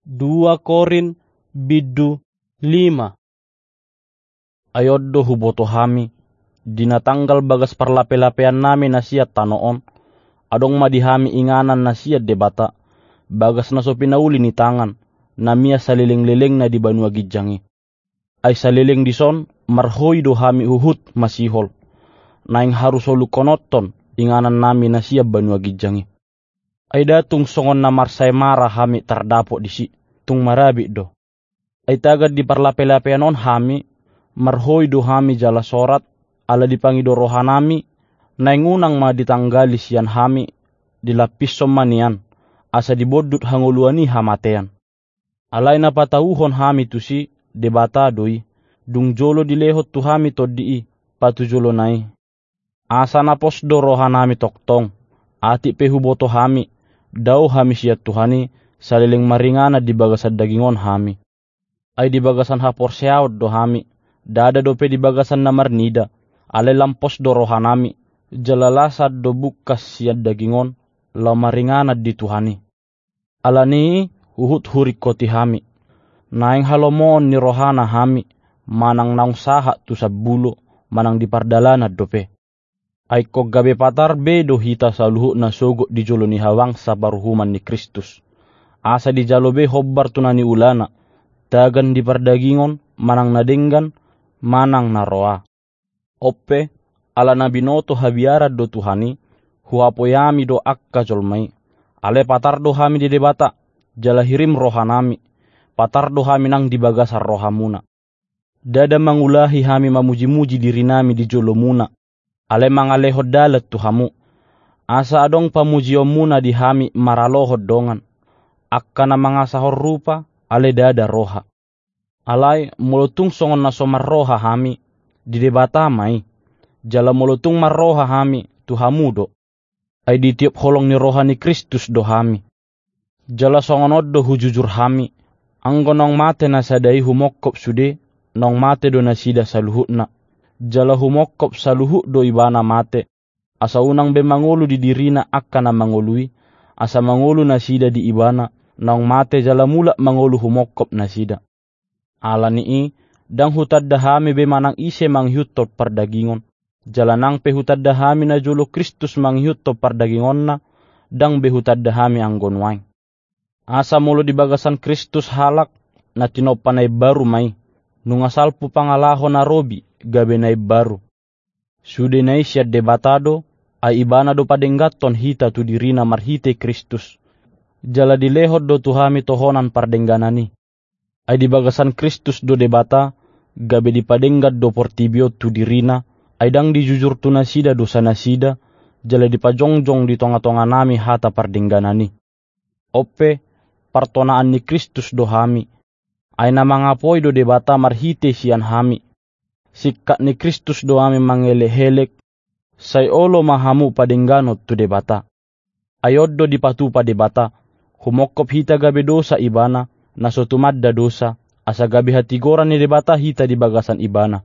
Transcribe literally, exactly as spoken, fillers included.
Dua Korint bindu lima. Ai on do huboto hami, di na tanggal bagas parlapelapeannami na sian tano on, adong ma di hami inganan na sian Debata, bagas na so pinauli ni tangan, na mian salelenglelengna di banua ginjang i. Ai saleleng dison marhoi do hami huhut masihol, naeng harusolukhononhon inganannami na sian banua ginjang i. Ai nda tung songon na marsaemara hami tardapot disi, tung marabit do. Ai tagan di parlapelapean on hami, marhoi do hami jala sorat, ala dipangido rohanami, naeng unang ma ditanggali sian hami, dilampishon ma nian, asa dibondut hangoluan i hamatean. Alai na patauhon hami tusi, Debata do i, dung jolo dilehon tu hami Tondi i, patujolona i. Asa na pos do rohanami tongtong, atik pe huboto hami, dao hami sian Tuhan i, saleleng maringanan di bagasan daging on hami. Ai di bagasan haporseaon do hami, ndada dope di bagasan na marnida, alai lam pos do rohanami, jala lasan do bungkas sian daging on, laho maringanan di Tuhan i. Ala ni i huhut huringkoti hami. Naeng halomoon ni rohana hami, manang naung sahat tu sambulo, manang di pardalanan dope. Ai ingkon gabe patar be do hita saluhutna sogot di jolo ni habangsa paruhuman ni Kristus. Asa dijalo be hombar tu na niulana, tagan di pardagingon, manang na denggan, manang na roa. On pe, ala na binoto habiaran do Tuhan i, huhapoiami do angka jolma i. Alai patar do hami di Debata, jala hirim rohanami, patar do hami nang di bagasan rohamuna. Ndada mangulahi hami mamujimuji dirinami di jolomuna, alai mangalehon dalan tu hamu. Asa adong pamujionmuna di hami maralohon dongan, angka na mangasahon rupa, alai ndada roha. Alai molo tung songon na so marroha hami, di Debata ma i, jala molo tung marroha hami, tu hamu do. Ai ditiop holong ni roha ni Kristus do hami. Jala songon on do hujujur hami, anggo naung mate na sada i humongkop sude, naung mate do nasida saluhutna. Jala humongkop saluhut do ibana mate, asa unang be mangolu di dirina angka na mangolu i, asa mangolu nasida di ibana, naung mate jala mulak mangolu humongkop nasida. Ala ni i, ndang hutanda hami be manang ise mangihuthon pardagingon, jala nang pe hutanda hami najolo Kristus mangihuthon pardagingonna, ndang be hutanda hami anggo nuaeng. Asa molo di bagasan Kristus halak, na tinompa na imbaru ma i, nunga salpu pangalaho na robi, gabe na imbaru. Sude na i sian Debata do, ai ibana do padengganhon hita tu dirina marhite Kristus. Jala dilehon do tu hami tohonan pardengganan i. Ai di bagasan Kristus do Debata, gabe dipadenggan do portibi on tu dirina, ai ndang dijujur tu nasida dosanasida, jala dipajongjong di tongatonganami hata pardengganan i. On pe, partonaan ni Kristus do hami. Ai na mangapoi do Debata marhite sian hami. Singkat ni Kristus do hami mangelekelek, sai olo ma hamu padengganon tu Debata. Ai on do dipatupa Debata, humongkop hita gabe dosa ibana, na so tumanda dosa, asa gabe hatigoran ni Debata hita di bagasan ibana.